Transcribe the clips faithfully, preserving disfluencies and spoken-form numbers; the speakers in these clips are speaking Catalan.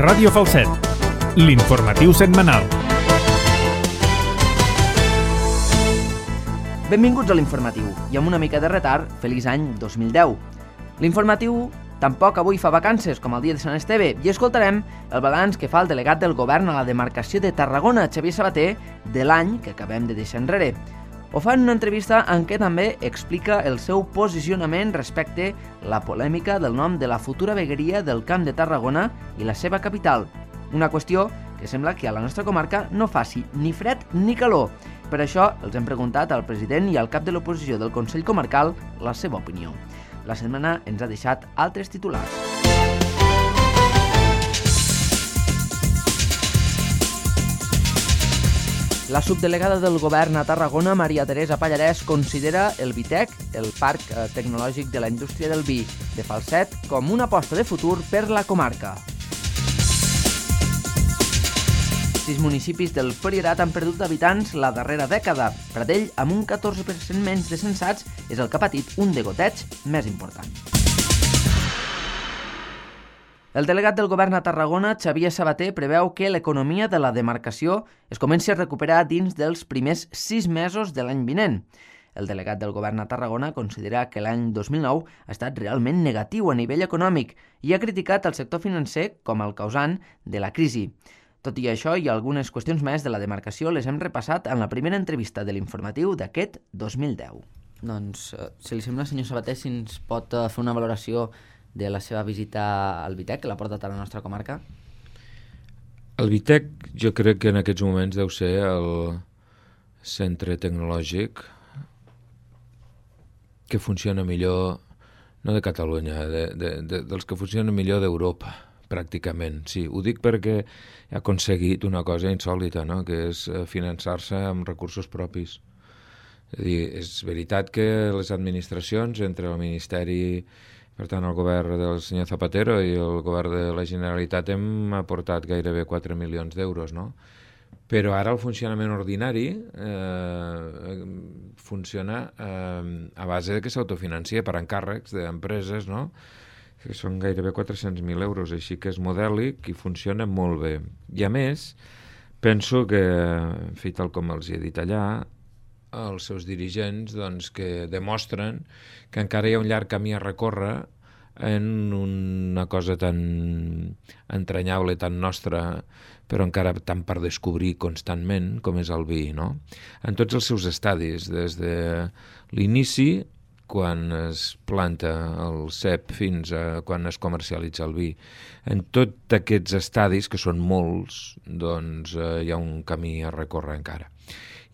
Ràdio Falset, l'informatiu setmanal. Benvinguts a l'informatiu, i amb una mica de retard, feliç any dos mil deu. L'informatiu tampoc avui fa vacances, com el dia de Sant Esteve, i escoltarem el balanç que fa el delegat del govern a la demarcació de Tarragona, Xavier Sabater, de l'any que acabem de deixar enrere. Ho fa en una entrevista en què també explica el seu posicionament respecte la polèmica del nom de la futura vegueria del Camp de Tarragona i la seva capital. Una qüestió que sembla que a la nostra comarca no faci ni fred ni calor. Per això els hem preguntat al president i al cap de l'oposició del Consell Comarcal la seva opinió. La setmana ens ha deixat altres titulars. La subdelegada del govern a Tarragona, Maria Teresa Pallarès, considera el Vitec, el Parc Tecnològic de la Indústria del Vi de Falset, com una aposta de futur per la comarca. Sis municipis del Priorat han perdut habitants la darrera dècada. Pradell, amb un catorze per cent menys de censats, és el que ha patit un degoteig més important. El delegat del govern a Tarragona, Xavier Sabater, preveu que l'economia de la demarcació es comenci a recuperar dins dels primers sis mesos de l'any vinent. El delegat del govern a Tarragona considera que l'any dos mil nou ha estat realment negatiu a nivell econòmic i ha criticat el sector financer com el causant de la crisi. Tot i això, i algunes qüestions més de la demarcació les hem repassat en la primera entrevista de l'informatiu d'aquest dos mil deu. Doncs, si li sembla, senyor Sabater, si ens pot fer una valoració de la seva visita al Vitec, que l'ha portat a la nostra comarca? El Vitec jo crec que en aquests moments deu ser el centre tecnològic que funciona millor, no de Catalunya, de, de, de, dels que funcionen millor d'Europa, pràcticament. Sí, ho dic perquè ha aconseguit una cosa insòlita, no? Que és finançar-se amb recursos propis. És a dir, és veritat que les administracions, entre el Ministeri, per tant, el govern del senyor Zapatero i el govern de la Generalitat hem aportat gairebé quatre milions d'euros, no? Però ara el funcionament ordinari eh, funciona eh, a base de que s'autofincia per encàrrecs d'empreses, no? Que són gairebé quatre-cents mil euros, així que és modèlic i funciona molt bé. I a més, penso que, en fi, tal com els he dit allà, els seus dirigents doncs, que demostren que encara hi ha un llarg camí a recórrer en una cosa tan entranyable, tan nostra, però encara tan per descobrir constantment com és el vi, no? En tots els seus estadis, des de l'inici, quan es planta el cep fins a quan es comercialitza el vi. En tots aquests estadis, que són molts, doncs eh, hi ha un camí a recórrer encara.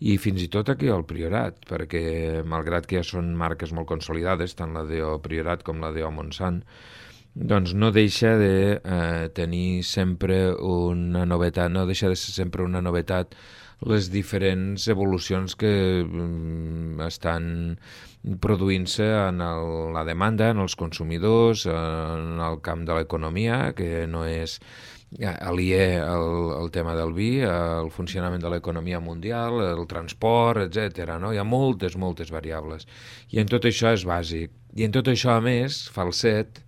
I fins i tot aquí al Priorat, perquè malgrat que ja són marques molt consolidades, tant la D O Priorat com la D O Montsant, doncs no deixa de eh, tenir sempre una novetat, no deixa de ser sempre una novetat les diferents evolucions que mm, estan produint-se en el, la demanda, en els consumidors, en el camp de l'economia, que no és aliè al, al tema del vi, al funcionament de l'economia mundial, el transport, etcètera. No? Hi ha moltes, moltes variables. I en tot això és bàsic. I en tot això, a més, Falset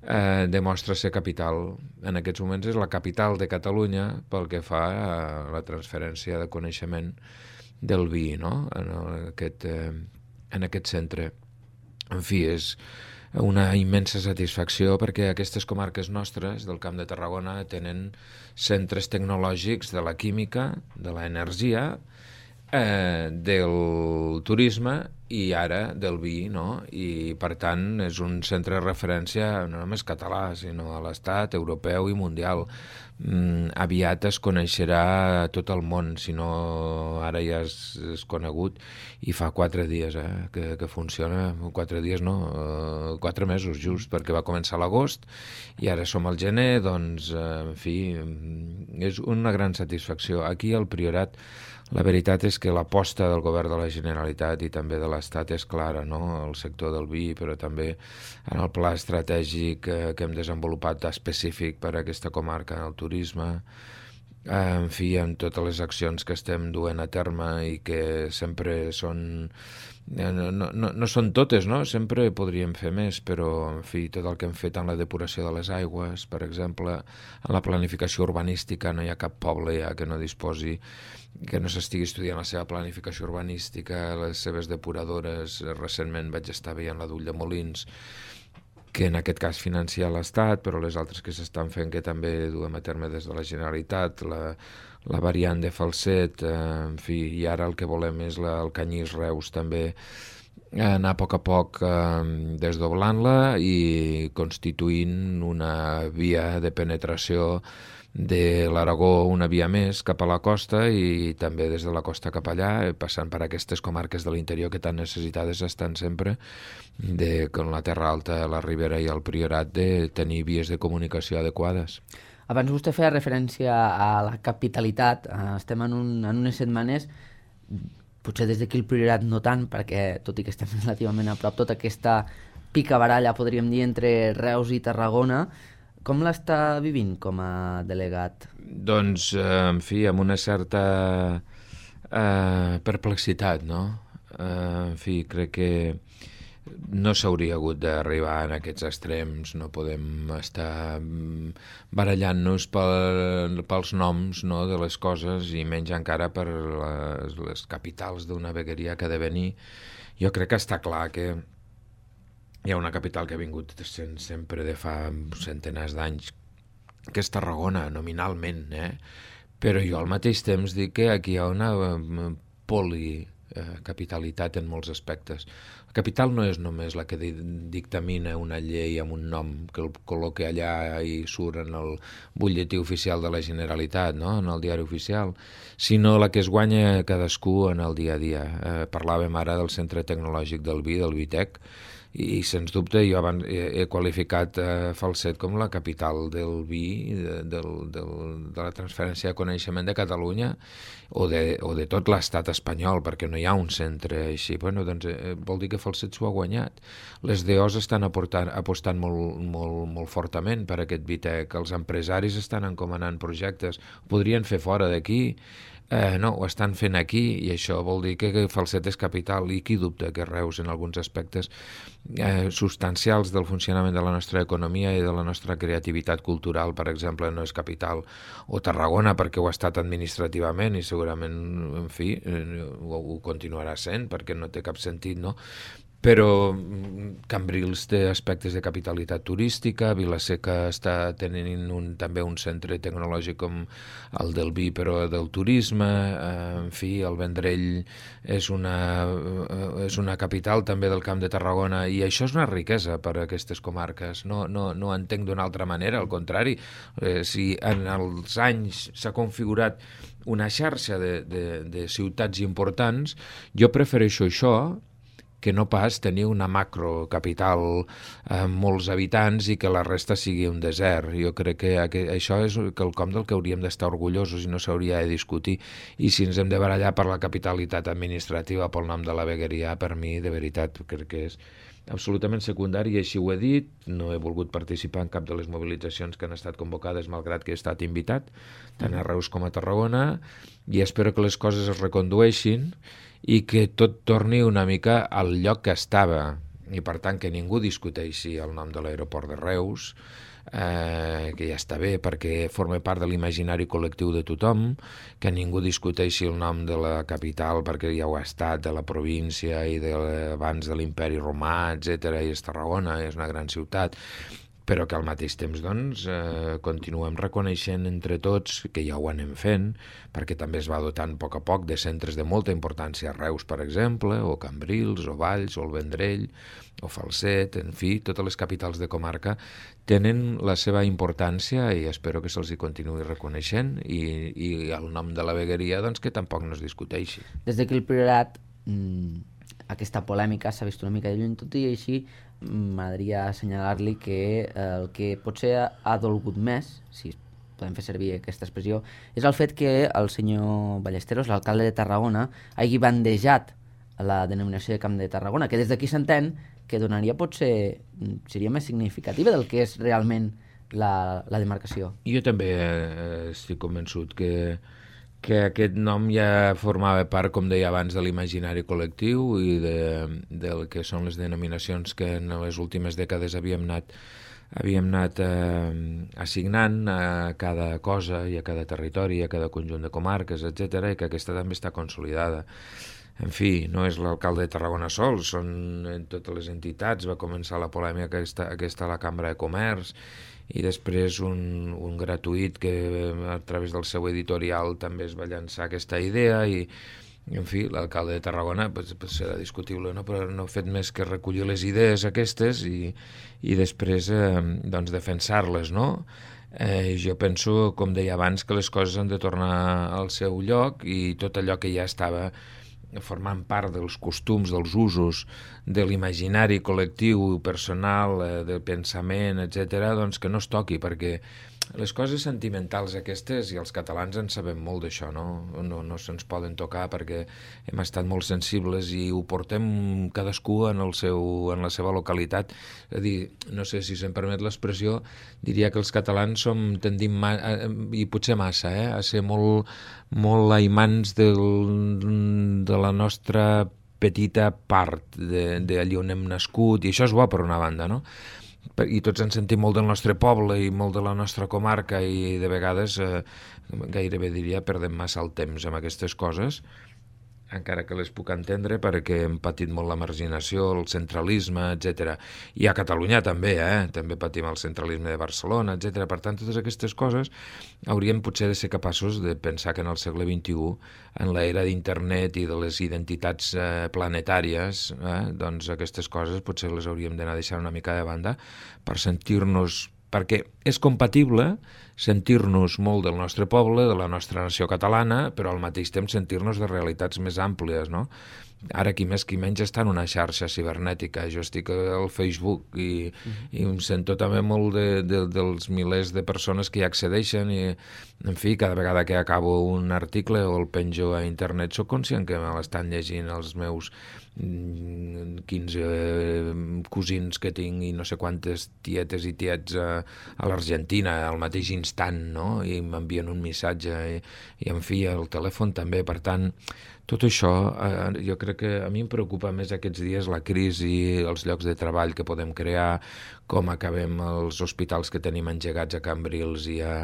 eh, demostra ser capital. En aquests moments és la capital de Catalunya pel que fa a la transferència de coneixement del vi, no? en, aquest, eh, en aquest centre. En fi, és una immensa satisfacció perquè aquestes comarques nostres del Camp de Tarragona tenen centres tecnològics de la química, de l'energia, eh, del turisme i ara del vi, no? I per tant és un centre de referència no només català, sinó a l'estat, europeu i mundial. Mm, aviat es coneixerà a tot el món, si no ara ja és, és conegut, i fa quatre dies eh, que, que funciona, quatre dies no, uh, quatre mesos just, perquè va començar a l'agost i ara som al gener, doncs, uh, en fi, és una gran satisfacció. Aquí al Priorat la veritat és que l'aposta del govern de la Generalitat i també de l'Estat és clara, no? El sector del vi, però també en el pla estratègic eh, que hem desenvolupat específic per a aquesta comarca, en el turisme, en fi, en totes les accions que estem duent a terme i que sempre són... No, no, no són totes, no? Sempre podríem fer més, però, en fi, tot el que hem fet en la depuració de les aigües, per exemple, en la planificació urbanística, no hi ha cap poble ja que no disposi, que no s'estigui estudiant la seva planificació urbanística, les seves depuradores. Recentment vaig estar veient la d'Ulldemolins, que en aquest cas financia l'Estat, però les altres que s'estan fent que també duem a terme des de la Generalitat, la, la variant de Falset, eh, en fi, i ara el que volem és la, el Canyís-Reus també, anar a poc a poc eh, desdoblant-la i constituint una via de penetració de l'Aragó, una via més cap a la costa i també des de la costa cap allà, passant per aquestes comarques de l'interior que tan necessitades estan sempre, de, com la Terra Alta, la Ribera i el Priorat, de tenir vies de comunicació adequades. Abans vostè feia referència a la capitalitat. Estem en, un, en unes setmanes, potser des d'aquí el Priorat no tant, perquè tot i que estem relativament a prop, tota aquesta picabaralla, podríem dir, entre Reus i Tarragona. Com l'està vivint com a delegat? Doncs, eh, en fi, amb una certa eh, perplexitat, no? Eh, en fi, crec que no s'hauria hagut d'arribar en aquests extrems, no podem estar barallant-nos pel, pels noms, no, de les coses i menys encara per les, les capitals d'una vegueria que ha de venir. Jo crec que està clar que hi ha una capital que ha vingut sent sempre de fa centenars d'anys, que és Tarragona, nominalment, eh? Però jo al mateix temps dic que aquí hi ha una policapitalitat en molts aspectes. La capital no és només la que dictamina una llei amb un nom que el col·loqui allà i surt en el butlletí oficial de la Generalitat, no? En el diari oficial, sinó la que es guanya cadascú en el dia a dia. Eh, parlàvem ara del Centre Tecnològic del Vi, del Vitec, i sens dubte jo abans he, he qualificat eh, Falset com la capital del vi, de, del, del, de la transferència de coneixement de Catalunya o de, o de tot l'estat espanyol, perquè no hi ha un centre així. Bueno, doncs eh, vol dir que Falset s'ho ha guanyat. Les D Os estan aportant, apostant molt, molt, molt fortament per aquest Vitec, els empresaris estan encomanant projectes, podrien fer fora d'aquí. Eh, no, ho estan fent aquí i això vol dir que Falset és capital i qui dubta que Reus en alguns aspectes eh, substancials del funcionament de la nostra economia i de la nostra creativitat cultural, per exemple, no és capital, o Tarragona perquè ho ha estat administrativament i segurament, en fi, eh, ho, ho continuarà sent perquè no té cap sentit, no? Però Cambrils té aspectes de capitalitat turística, Vila-seca està tenint un, també un centre tecnològic com el del vi, però del turisme, eh, en fi, el Vendrell és una, eh, és una capital també del Camp de Tarragona, i això és una riquesa per a aquestes comarques, no, no, no entenc d'una altra manera, al contrari, eh, si en els anys s'ha configurat una xarxa de, de, de ciutats importants, jo prefereixo això que no pas tenir una macrocapital amb molts habitants i que la resta sigui un desert. Jo crec que això és quelcom del que hauríem d'estar orgullosos i no s'hauria de discutir. I si ens hem de barallar per la capitalitat administrativa, pel nom de la vegueria, per mi, de veritat, crec que és absolutament secundari, i així ho he dit. No he volgut participar en cap de les mobilitzacions que han estat convocades, malgrat que he estat invitat, tant a Reus com a Tarragona, i espero que les coses es recondueixin i que tot torni una mica al lloc que estava, i per tant que ningú discuteixi el nom de l'aeroport de Reus, eh, que ja està bé perquè forma part de l'imaginari col·lectiu de tothom, que ningú discuteixi el nom de la capital perquè ja ho ha estat, de la província i de, abans de l'imperi romà, etcètera, i és Tarragona, és una gran ciutat, però que al mateix temps doncs, eh, continuem reconeixent entre tots que ja ho anem fent, perquè també es va dotant a poc a poc de centres de molta importància, Reus, per exemple, o Cambrils, o Valls, o el Vendrell, o Falset, en fi, totes les capitals de comarca tenen la seva importància i espero que se'ls hi continuï reconeixent, i, i el nom de la vegueria doncs, que tampoc no es discuteixi. Des d'aquí el Priorat, mmm, aquesta polèmica s'ha vist una mica de lluny, tot i així m'agradaria assenyalar-li que el que potser ha dolgut més, si podem fer servir aquesta expressió, és el fet que el senyor Ballesteros, l'alcalde de Tarragona, hagi bandejat la denominació de Camp de Tarragona, que des d'aquí s'entén que donaria potser, seria més significativa del que és realment la, la demarcació. Jo també eh, estic convençut que, que aquest nom ja formava part, com deia abans, de l'imaginari col·lectiu i de, del que són les denominacions que en les últimes dècades havíem anat, havíem anat eh, assignant a cada cosa i a cada territori, a cada conjunt de comarques, etcètera, i que aquesta també està consolidada. En fi, no és l'alcalde de Tarragona sol, són en totes les entitats. Va començar la polèmica aquesta, aquesta a la Cambra de Comerç i després un, un gratuït que a través del seu editorial també es va llançar aquesta idea i, en fi, l'alcalde de Tarragona pues, pues serà discutible, no? Però no ha fet més que recollir les idees aquestes i, i després eh, doncs defensar-les, no? Eh, jo penso, com deia abans, que les coses han de tornar al seu lloc i tot allò que ja estava formant part dels costums, dels usos, de l'imaginari col·lectiu, personal, eh, del pensament, etcètera, doncs que no es toqui, perquè les coses sentimentals aquestes, i els catalans en sabem molt d'això, no? No, no se'ns poden tocar perquè hem estat molt sensibles i ho portem cadascú en, el seu, en la seva localitat. És a dir, no sé si se'm permet l'expressió, diria que els catalans som tendim, ma, i potser massa, eh, a ser molt, molt aimants del, de la nostra petita part d'allí on hem nascut, i això és bo per una banda, no? I tots ens sentim molt del nostre poble i molt de la nostra comarca i de vegades eh, gairebé diria perdem massa el temps amb aquestes coses, encara que les puc entendre perquè hem patit molt la marginació, el centralisme, etcètera. I a Catalunya també, eh? També patim el centralisme de Barcelona, etcètera. Per tant, totes aquestes coses hauríem potser de ser capaços de pensar que en el segle vint-i-u, en l'era d'internet i de les identitats eh, planetàries, eh? doncs aquestes coses potser les hauríem d'anar deixant una mica de banda per sentir-nos, perquè és compatible sentir-nos molt del nostre poble, de la nostra nació catalana, però al mateix temps sentir-nos de realitats més àmplies, no? Ara qui més qui menys està en una xarxa cibernètica. Jo estic al Facebook i, uh-huh. i em sento també molt de, de, dels milers de persones que hi accedeixen i, en fi, cada vegada que acabo un article o el penjo a internet soc conscient que me l'estan llegint els meus quinze cosins que tinc i no sé quantes tietes i tiets a, a l'Argentina al mateix instant, no? I m'envien un missatge i, i en fi, el telèfon també. Per tant, tot això, eh, jo crec que a mi em preocupa més aquests dies la crisi, els llocs de treball que podem crear, com acabem els hospitals que tenim engegats a Cambrils i a,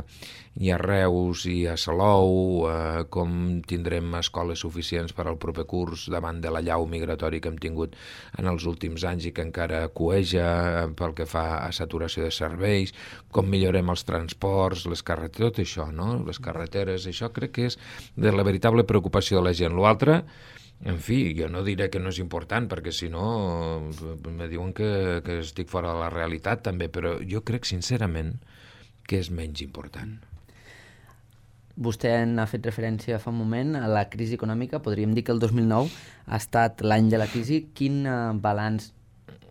i a Reus i a Salou, eh, com tindrem escoles suficients per al proper curs davant de la llau migratori que hem tingut en els últims anys i que encara cueja pel que fa a saturació de serveis, com millorem els transports, les carreteres, tot això, no? Les carreteres, això crec que és de la veritable preocupació de la gent. L'altre, en fi, jo no diré que no és important, perquè si no me diuen que, que estic fora de la realitat també, però jo crec sincerament que és menys important. Vostè n'ha fet referència fa un moment a la crisi econòmica. Podríem dir que el dos mil nou ha estat l'any de la crisi. Quin balanç,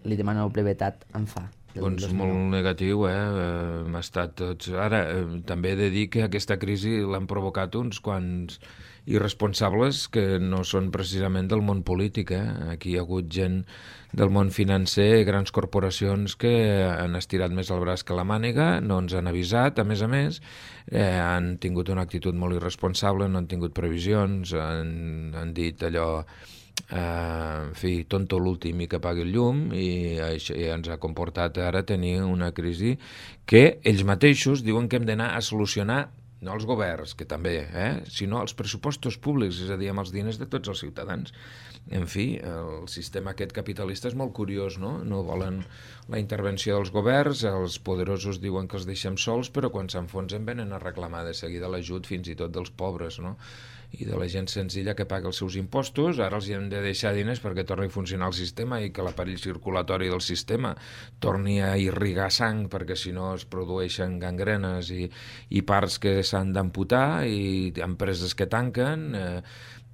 li demano la brevetat, en fa? Doncs molt negatiu, eh? Hem estat tots... Ara, eh, també he de dir que aquesta crisi l'han provocat uns quants irresponsables que no són precisament del món polític, eh? Aquí hi ha hagut gent del món financer, grans corporacions que han estirat més el braç que la màniga, no ens han avisat, a més a més, eh, han tingut una actitud molt irresponsable, no han tingut previsions, han, han dit allò... Uh, en fi, tonto l'últim i que pagui el llum, i això ja ens ha comportat ara tenir una crisi que ells mateixos diuen que hem d'anar a solucionar, no els governs, que també, eh, sinó els pressupostos públics, és a dir, amb els diners de tots els ciutadans. En fi, el sistema aquest capitalista és molt curiós, no? No volen la intervenció dels governs, els poderosos diuen que els deixem sols, però quan s'enfonsen venen a reclamar de seguida l'ajut fins i tot dels pobres, no? I de la gent senzilla que paga els seus impostos. Ara els hi hem de deixar diners perquè torni a funcionar el sistema i que l'aparell circulatori del sistema torni a irrigar sang, perquè si no es produeixen gangrenes i, i parts que s'han d'amputar i empreses que tanquen eh,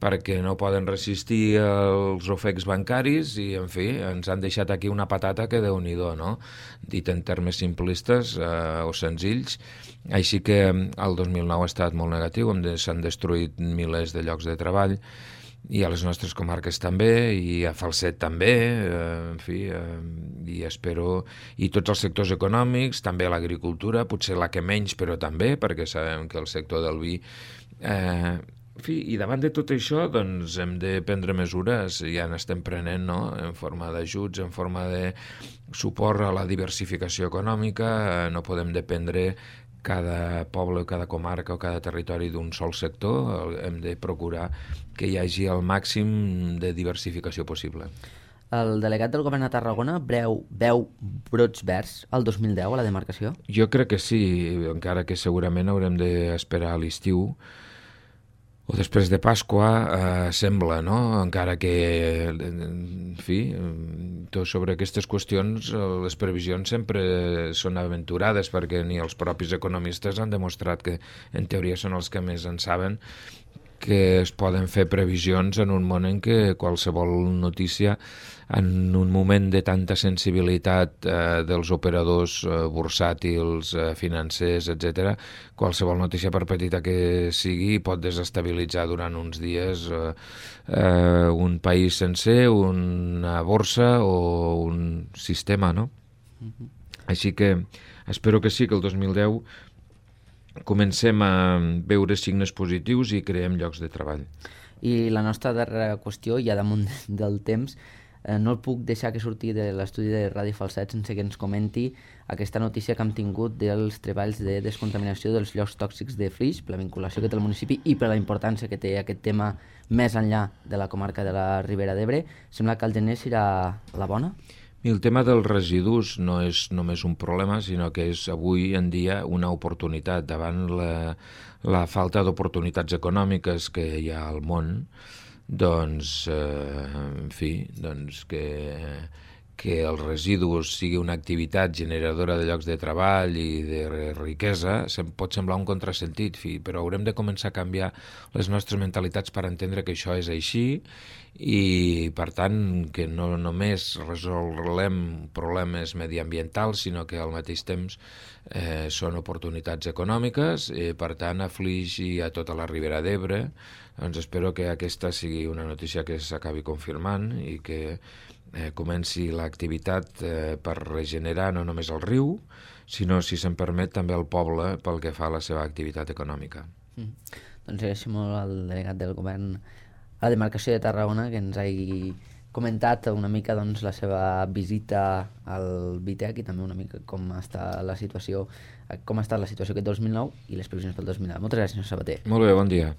perquè no poden resistir els ofecs bancaris i, en fi, ens han deixat aquí una patata que Déu-n'hi-do, no? Dit en termes simplistes eh, o senzills. Així que el dos mil nou ha estat molt negatiu, s'han destruït milers de llocs de treball i a les nostres comarques també, i a Falset també, eh, en fi, eh, i espero, i tots els sectors econòmics, també l'agricultura, potser la que menys, però també, perquè sabem que el sector del vi... Eh, en fi, i davant de tot això, doncs, hem de prendre mesures, ja n'estem prenent, no?, en forma d'ajuts, en forma de suport a la diversificació econòmica, eh, no podem dependre cada poble o cada comarca o cada territori d'un sol sector, hem de procurar que hi hagi el màxim de diversificació possible. El delegat del govern a Tarragona breu, veu brots verds el dos mil deu a la demarcació? Jo crec que sí, encara que segurament haurem d'esperar a l'estiu o després de Pasqua, eh, sembla, no? Encara que, en fi, tot sobre aquestes qüestions, les previsions sempre són aventurades, perquè ni els propis economistes han demostrat que, en teoria, són els que més en saben, que es poden fer previsions en un món en què qualsevol notícia, en un moment de tanta sensibilitat eh, dels operadors eh, bursàtils, eh, financers, etcètera, qualsevol notícia, per petita que sigui, pot desestabilitzar durant uns dies eh, eh, un país sencer, una borsa o un sistema, no? Uh-huh. Així que espero que sí, que el dos mil deu comencem a veure signes positius i creem llocs de treball. I la nostra darrera qüestió, ja damunt del temps, eh, no el puc deixar que surti de l'estudi de Ràdio Falset sense que ens comenti aquesta notícia que hem tingut dels treballs de descontaminació dels llocs tòxics de Flix, per la vinculació que té el municipi i per la importància que té aquest tema més enllà de la comarca de la Ribera d'Ebre. Sembla que el gener serà la bona? I el tema dels residus no és només un problema, sinó que és avui en dia una oportunitat. Davant la, la falta d'oportunitats econòmiques que hi ha al món, doncs, eh, en fi, doncs que, que els residus sigui una activitat generadora de llocs de treball i de riquesa, pot semblar un contrasentit, fi, però haurem de començar a canviar les nostres mentalitats per entendre que això és així i, per tant, que no només resolem problemes mediambientals, sinó que al mateix temps eh, són oportunitats econòmiques, i, per tant, a Flix i a tota la Ribera d'Ebre, doncs espero que aquesta sigui una notícia que s'acabi confirmant i que eh, comenci l'activitat eh, per regenerar no només el riu, sinó, si se'n permet, també el poble pel que fa a la seva activitat econòmica. Mm. Doncs agraeixo molt al delegat del govern a la demarcació de Tarragona que ens hagi comentat una mica doncs, la seva visita al Vitec i també una mica com està la situació, com ha estat la situació aquest dos mil nou i les previsions pel dos mil deu. Moltes gràcies, senyor Sabater. Molt bé, bon dia.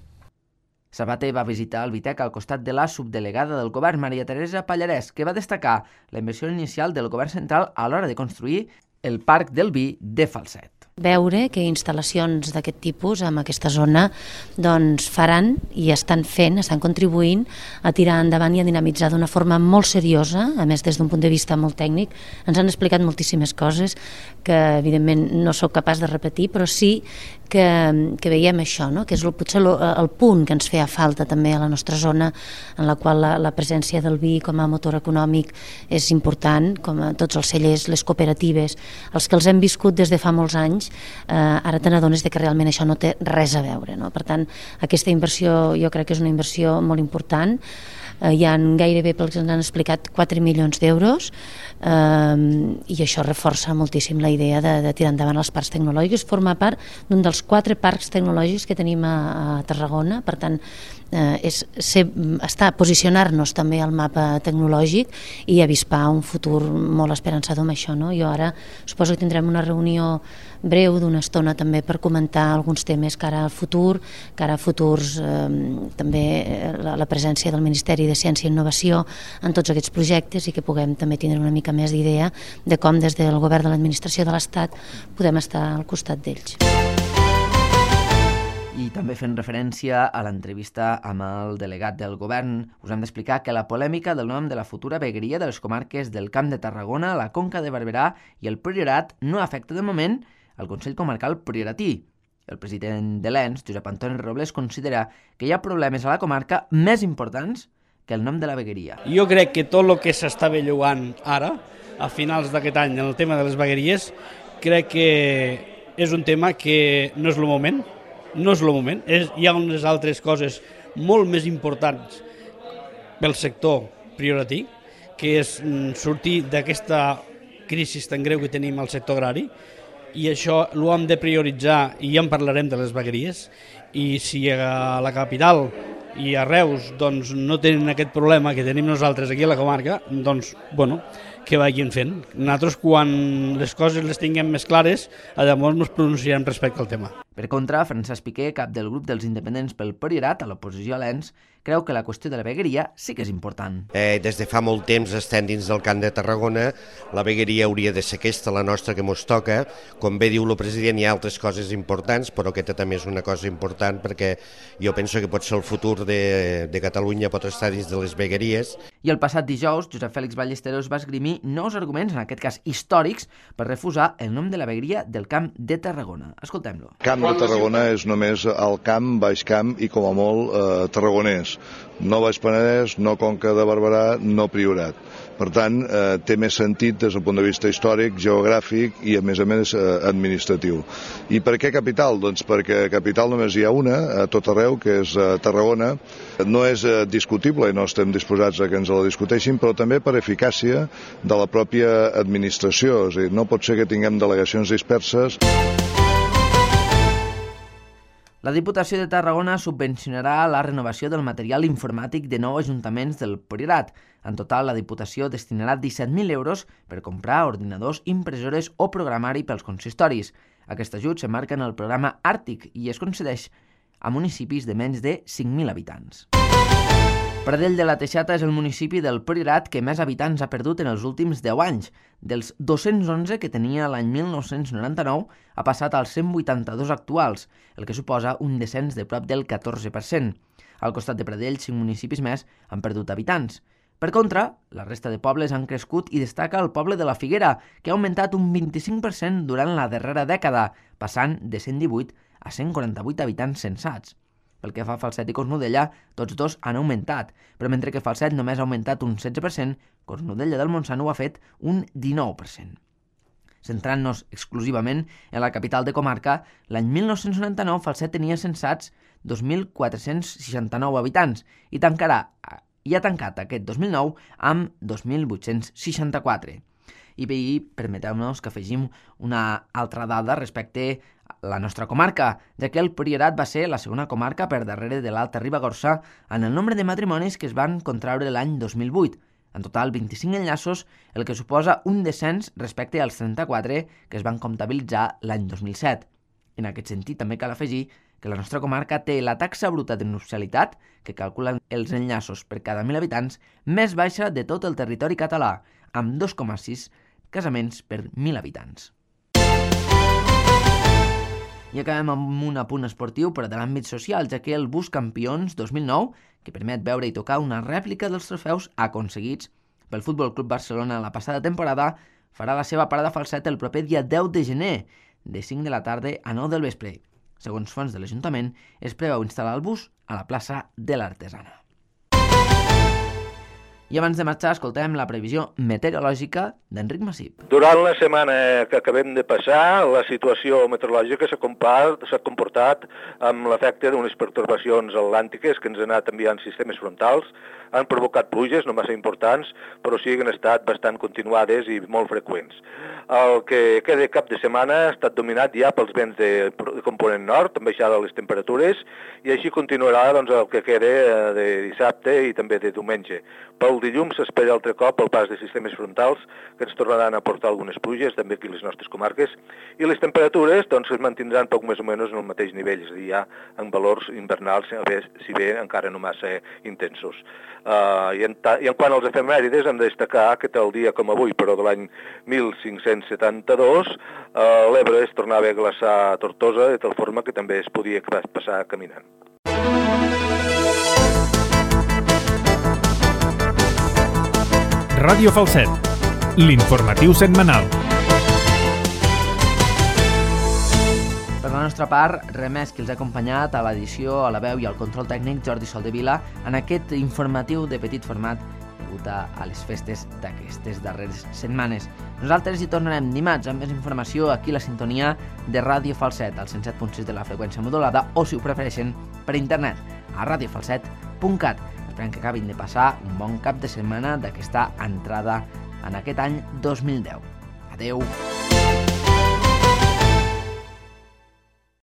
Sabater va visitar el Vitec al costat de la subdelegada del govern, Maria Teresa Pallarès, que va destacar la inversió inicial del govern central a l'hora de construir el Parc del Vi de Falset. Veure que instal·lacions d'aquest tipus en aquesta zona doncs, faran i estan fent, estan contribuint a tirar endavant i a dinamitzar d'una forma molt seriosa, a més des d'un punt de vista molt tècnic. Ens han explicat moltíssimes coses que evidentment no sóc capaç de repetir, però sí que, que veiem això, no? Que és el, potser el, el punt que ens feia falta també a la nostra zona, en la qual la, la presència del vi com a motor econòmic és important, com a tots els cellers, les cooperatives, els que els hem viscut des de fa molts anys, Eh, ara te n'adones que realment això no té res a veure, no? Per tant, aquesta inversió jo crec que és una inversió molt important. Eh, hi ha gairebé, pel que ens han explicat, quatre milions d'euros eh, i això reforça moltíssim la idea de, de tirar endavant els parcs tecnològics. Forma part d'un dels quatre parcs tecnològics que tenim a, a Tarragona, per tant eh, és ser, estar, posicionar-nos també al mapa tecnològic i avispar un futur molt esperançador amb això, no? Jo ara suposo que tindrem una reunió breu d'una estona també per comentar alguns temes cara al futur, cara a futurs eh, també la, la presència del Ministeri de Ciència i Innovació en tots aquests projectes i que puguem també tindre una mica més d'idea de com des del govern de l'administració de l'Estat podem estar al costat d'ells. I també fent referència a l'entrevista amb el delegat del govern, us hem d'explicar que la polèmica del nom de la futura vegueria de les comarques del Camp de Tarragona, la Conca de Barberà i el Priorat no afecta de moment el Consell Comarcal Prioratí. El president de l'E N S, Josep Antoni Robles, considera que hi ha problemes a la comarca més importants que el nom de la vegueria. Jo crec que tot el que s'està bellugant ara, a finals d'aquest any, en el tema de les vegueries, crec que és un tema que no és el moment, no és el moment. És, hi ha unes altres coses molt més importants pel sector prioratí, que és sortir d'aquesta crisi tan greu que tenim al sector agrari, i això ho hem de prioritzar, i ja en parlarem de les vegueries, i si a la capital i a Reus doncs, no tenen aquest problema que tenim nosaltres aquí a la comarca, doncs, bueno, que vagin fent. Nosaltres, quan les coses les tinguem més clares, llavors ens pronunciarem respecte al tema. Per contra, Francesc Piqué, cap del grup dels independents pel Priorat, a l'oposició a l'Ens, creu que la qüestió de la vegueria sí que és important. Eh, des de fa molt temps estem dins del Camp de Tarragona, la vegueria hauria de ser aquesta, la nostra, que mos toca. Com bé diu el president, hi ha altres coses importants, però aquesta també és una cosa important perquè jo penso que pot ser el futur de, de Catalunya, pot estar dins de les vegueries. I el passat dijous, Josep Fèlix Ballesteros va esgrimir nous arguments, en aquest cas històrics, per refusar el nom de la vegueria del Camp de Tarragona. Escoltem-lo. Camp de Tarragona és només el camp, baix camp i com a molt eh, tarragonès. No Baix Penedès, no Conca de Barberà, no Priorat. Per tant, eh, té més sentit des del punt de vista històric, geogràfic i, a més a més, eh, administratiu. I per què capital? Doncs perquè capital només hi ha una, a tot arreu, que és eh, Tarragona. No és eh, discutible i no estem disposats a que ens la discuteixin, però també per eficàcia de la pròpia administració. És a dir, no pot ser que tinguem delegacions disperses. La Diputació de Tarragona subvencionarà la renovació del material informàtic de nou ajuntaments del Priorat. En total, la Diputació destinarà disset mil euros per comprar ordinadors, impressores o programari pels consistoris. Aquest ajut s'emmarca en el programa Àrtic i es concedeix a municipis de menys de cinc mil habitants. Pradell de la Teixata és el municipi del Priorat que més habitants ha perdut en els últims deu anys. Dels dos-cents onze que tenia l'any mil nou-cents noranta-nou, ha passat als cent vuitanta-dos actuals, el que suposa un descens de prop del catorze per cent. Al costat de Pradell, cinc municipis més han perdut habitants. Per contra, la resta de pobles han crescut i destaca el poble de la Figuera, que ha augmentat un vint-i-cinc per cent durant la darrera dècada, passant de cent divuit a cent quaranta-vuit habitants censats. Pel que fa a Falset i Cornudella, tots dos han augmentat, però mentre que Falset només ha augmentat un setze per cent, Cornudella del Montsant ho ha fet un dinou per cent. Centrant-nos exclusivament en la capital de comarca, l'any mil nou-cents noranta-nou Falset tenia censats dos mil quatre-cents seixanta-nou habitants i tancarà i ha tancat aquest dos mil nou amb dos mil vuit-cents seixanta-quatre. I bé, permeteu-nos que afegim una altra dada respecte a la nostra comarca, ja que el Priorat va ser la segona comarca per darrere de l'Alta Ribagorça en el nombre de matrimonis que es van contraure l'any dos mil vuit. En total, vint-i-cinc enllaços, el que suposa un descens respecte als trenta-quatre que es van comptabilitzar l'any dos mil set. En aquest sentit, també cal afegir que la nostra comarca té la taxa bruta de nupcialitat, que calculen els enllaços per cada mil habitants, més baixa de tot el territori català, amb dos coma sis casaments per mil habitants. I acabem amb un apunt esportiu, però de l'àmbit social, ja que el Bus Campions dos mil nou, que permet veure i tocar una rèplica dels trofeus aconseguits pel Futbol Club Barcelona la passada temporada, farà la seva parada a Falset el proper dia deu de gener, de cinc de la tarda a nou del vespre. Segons fonts de l'Ajuntament, es preveu instal·lar el bus a la plaça de l'Artesana. I abans de marxar, escoltem la previsió meteorològica d'Enric Massip. Durant la setmana que acabem de passar, la situació meteorològica s'ha comportat amb l'efecte d'unes pertorbacions atlàntiques que ens han anat enviant sistemes frontals, han provocat pluges no massa importants, però sí que han estat bastant continuades i molt freqüents. El que queda cap de setmana ha estat dominat ja pels vents de component nord, amb baixada les temperatures, i així continuarà doncs, el que queda de dissabte i també de diumenge. Pel dilluns s'espera altre cop el pas de sistemes frontals que ens tornaran a portar algunes pluges, també aquí a les nostres comarques, i les temperatures doncs, es mantindran poc més o menys en el mateix nivell, és a dir, ja en valors invernals, si bé encara no massa intensos. Uh, i, en I en quant als efemèrides, hem de destacar que tal dia com avui, però de l'any mil cinc-cents setanta-dos, uh, l'Ebre es tornava a glaçar a Tortosa, de tal forma que també es podia passar caminant. Ràdio Falset, l'informatiu setmanal. Per la nostra part, res més que els ha acompanyat a l'edició, a la veu i al control tècnic Jordi Soldevila en aquest informatiu de petit format degut a les festes d'aquestes darreres setmanes. Nosaltres hi tornarem dimarts amb més informació aquí a la sintonia de Ràdio Falset, al cent set punt sis de la freqüència modulada, o si ho prefereixen per internet, a radiofalset punt cat. Esperem que acabin de passar un bon cap de setmana d'aquesta entrada en aquest any dos mil deu. Adeu!